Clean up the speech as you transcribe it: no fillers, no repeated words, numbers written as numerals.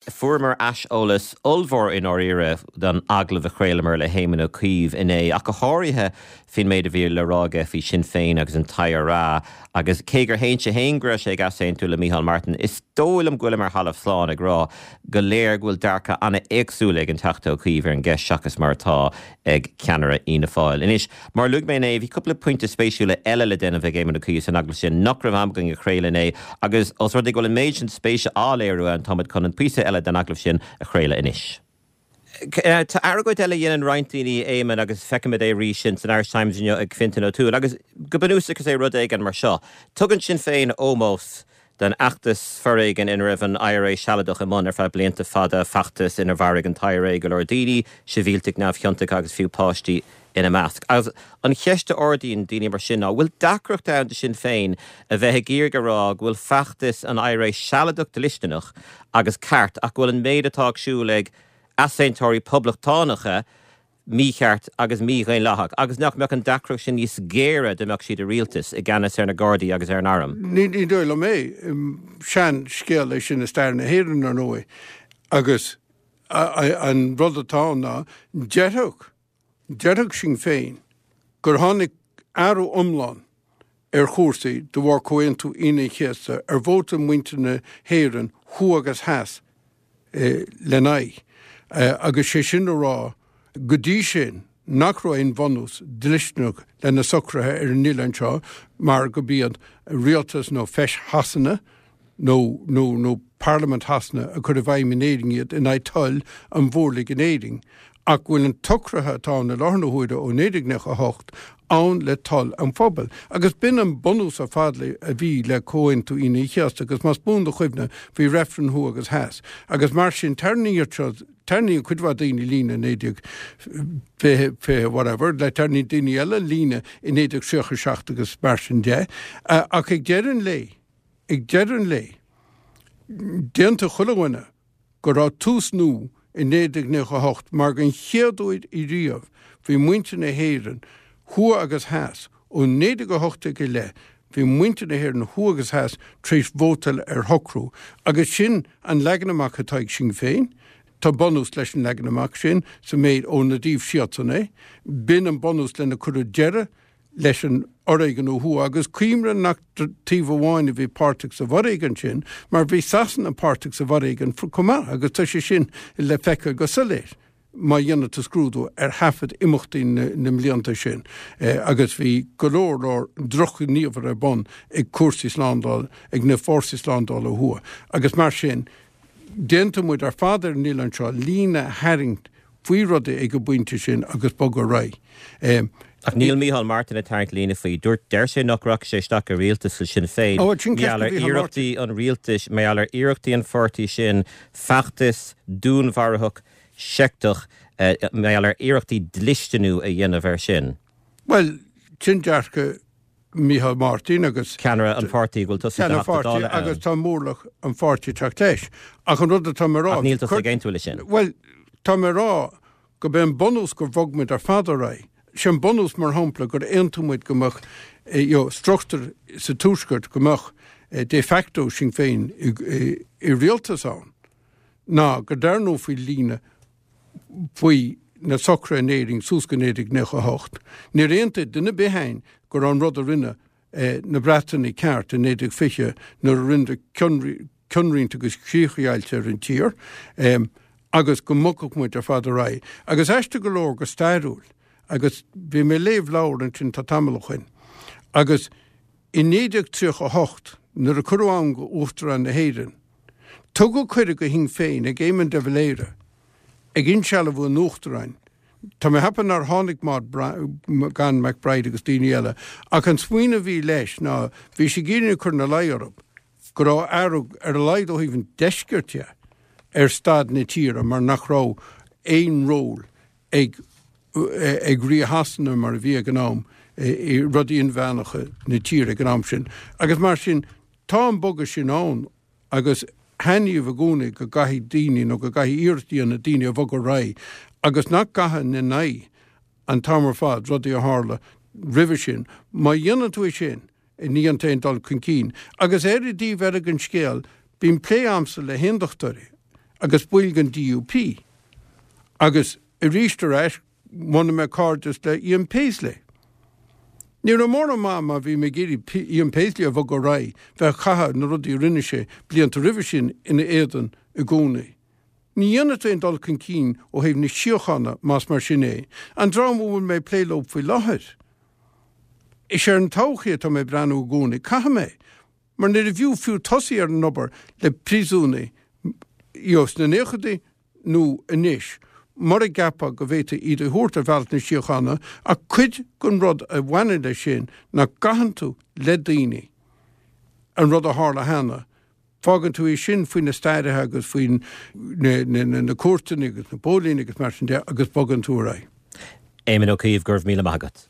Fuaireamar aiseolas ollmhór i ndáiríre don agallamh a chraolamar le hÉamon Ó Cuív inné, ach go háirithe faoin méid a bhí le rá aige faoi Sinn Féin agus an t-IRA. Agus cé gur shéan sé féin go raibh sé ag easaontú le Micheál Martin, is dóigh liom go bhfuilim ar thalamh slán ag rá gur léir go bhfuil dearcadh an-éagsúil ag an Teachta Ó Cuív ar an gceist seachas mar atá ag ceannaire Fhianna Fáil. Anois, mar a luaigh mé inné, bhí cúpla pointe spéisiúla eile le déanamh ag Éamon Ó Cuív san agallamh sin nach raibh am againn a chraoladh inné agus os rud é go bhfuil an méid sin spéise á léiriú ann, táimid chun an píosa eile den agallamh sin a chraoladh anois. Tá argóint eile a dhéanann roinnt daoine, Éamon, agus feicimid é arís sin san Irish Times inniu ag Fintan O'Toole, agus go bunúsach is é rud éigin mar seo, tugann Sinn Féin ómós don fheachtas foréigin ina raibh an IRA Sealadach i mbun ar feadh blianta fada, feachtas inar mharaigh an t-IRA go leor daoine, sibhialtaigh neamhchiontacha agus fiú páistí ina measc. Agus an cheist a ardaíonn daoine mar sin ná, bhfuil deacracht ann do Sinn Féin a bheith ag iarraidh a rá go bhfuil feachtas an IRA Sealadach dlisteanach agus ceart ach go bhfuil an méid atá ar siúl ag easaontóirí poblachtánacha mícheart agus mídhaonlathach, agus nach mbeadh an deacracht sin níos géire dá mbeadh siad i rialtas, i gceannas ar na Gardaí agus ar an arm? Ní dóigh liom é. Sean-scéal é sin i stair na hÉireann, ar ndóigh, agus an rud atá ann ná, déarfadh, déarfadh Sinn Féin gur tháinig athrú iomlán ar chúrsaí de bharr Comhaontú Aoine an Chéasta ar vótáil muintir na hÉireann thuaidh agus theas lena aghaidh, agus sé sin a rá go dtí sin nach raibh aon bhunús dlisteanach le na socruithe ar an oileán seo mar go b'iad rialtas nó Feis Shasana nó nó nó Parlaimint Shasana a chuir i bhfeidhm in Éirinn iad in aghaidh toil an mhórlaigh in Éirinn, ach go bhfuil an tsocruithe atá ann i láthair na huaire ó 1998 ann le toil an phobail. Agus b'in an bunús ar fad le a bhí le Comhaontú Aoine an Chéasta agus más buan do chuimhne bhí reifreann thuaidh agus theas agus mar sin tarraingíodh seo tarraingíonn cuid mhaith daoine líne i 1920 20 whatever le tarraingíonn daoine eile líne i 1937 agus mar sin de ach ag deireadh an lae Ag deireadh an lae, d'aontaigh chuile dhuine go raibh tús nua i 1998 mar den chéad uair riamh bhí muintir na hÉireann, thuaidh agus theas, ó 1918 i leith, bhí muintir na hÉireann thuaidh agus theas tar éis vótáil ar shocrú agus sin an leagan amach atá ag Sinn Féin. Tá bunús leis an leagan amach sin sa méid óna dtaobh siadsan é. B'in an bunús lena cuireadh deireadh leis an fhoréigean ó thuaidh, agus cuimhnigh nach taobh amháin a bhí páirteach sa bhforéigean sin, mar bhí Sasana páirteach sa bhforéigean chomh maith, agus tá sé sin le feiceáil go soiléir má dhéanann tú scrúdú ar thaifead imeachtaí na mblianta sin, agus bhí go leor leor drochghníomhartha ar bun ag cúrsaí slándála, ag na fórsaí slándála ó thuaidh, agus mar sin, d'aontaigh muid ar fad ar an oileán seo líne a tharraingt faoi rudaí ag an bpointe sin agus bogadh ar aghaidh. Ach níl Micheál Martin ag tarraingt líne faoi. Dúirt, deir sé nach rachaidh sé isteach i rialtas le Sinn Féin Ó, sin mar gheall ceist ar do Mhicheál Martin. iarrachtaí an rialtais, mar gheall ar iarrachtaí an pháirtí sin feachtas dúnmharaitheach seicteach, mar gheall ar iarrachtaí dlisteanú a dhéanamh air sin. Bhuel, sin dearcadh Micheál Martin agus. Ceannaire an pháirtí go bhfuil tusa i do Ceannaire Theachta an pháirtí Dála ann. agus tá mórlach an pháirtí ag teacht leis. Ach an rud atá mé a rá. Ach níl tusa ag aontú leis sin. Bhuel, tá mé a rá go b'é an bunús gur bhog muid ar fad ar aghaidh. Sé an bunús, mar shampla, gur aontaigh muid go mbeadh you know, struchtúr sa Tuaisceart go mbeadh de facto Sinn Féin i rialtas ann ná go dtarraingeofaí líne faoi na socruithe in Éirinn suas go 1998. Níor aontaigh duine ar bith againn go raibh an rud a rinne na Breatanaigh ceart i 1920 nuair a rinneadar cionroinnt agus críochdheighilt ar an tír agus go mbogfadh muid ar fad ar aghaidh. Agus aisteach go leor go stairiúil, agus bhí mé ag léamh leabhar ansin tá tamall ó shoin, agus i 1938 nuair a cuireadh ann go Uachtarán na hÉireann, Tugadh cuireadh go Shinn Féin ag Éamon de Valera ag insealbhú an Uachtaráin. Tá mé ag ceapadh nár tháinig Maud gan MacBride agus daoine eile ach an smaoineamh a bhí leis ná bhí sé ag iarraidh cur ina luí orthu go raibh athrú, ar a laghad ó thaobh an deiscirt de, ar staid na tíre mar nach raibh aon ról ag ag Rí Shasana mar a bhí ag an am i rudaí inmheánacha na tíre ag an am sin. Agus mar sin tá an bogadh sin ann agus thaitníomh i gcónaí go gcaithfidh daoine nó go gcaithfidh iarracht a dhéanamh daoine a bhogadh ar aghaidh agus nach gcaitheann in aghaidh an t-am ar fad rudaí a tharla roimhe sin. Má dhéanann tú é sin, ní dhéanann tú aon dul chun cinn. Agus ar an dtaobh eile den scéal, bíonn plé a'msa le haondachtóirí. agus baill den DUP. Agus arís ar ais, bhunaigh mé cairdeas le Ian Paisley. Ní raibh mórán maith má bhí mé ag iarraidh Ian Paisley a bhogadh ar aghaidh, bheith ag caitheamh na rudaí a rinne sé blianta roimhe sin ina éadan i gcónaí. Ní dhéanfaidh tú aon dul chun cinn ó thaobh na síochána más mar sin é. An dream a bhfuil mé ag plé leo faoi láthair, is ar an todhchaí atá mé ag breathnú i gcónaí. Caithfidh mé. Mar níorbh fhiú fiú tosaí ar an obair le príosúnaigh, you know, sna naochadaí nó anois, mura gceapfá go bhféadfaí iad a thabhairt ar bhealach na síochána, ach cuid den rud a bhaineann leis sin ná gcaitheann tú le daoine an rud a tharla cheana, fágann tú é sin faoi na stairithe agus faoi na cúirteanna agus na póilíní agus mar sin de agus bogann tú ar aghaidh. Éamon Ó Cuív, go raibh míle maith agat.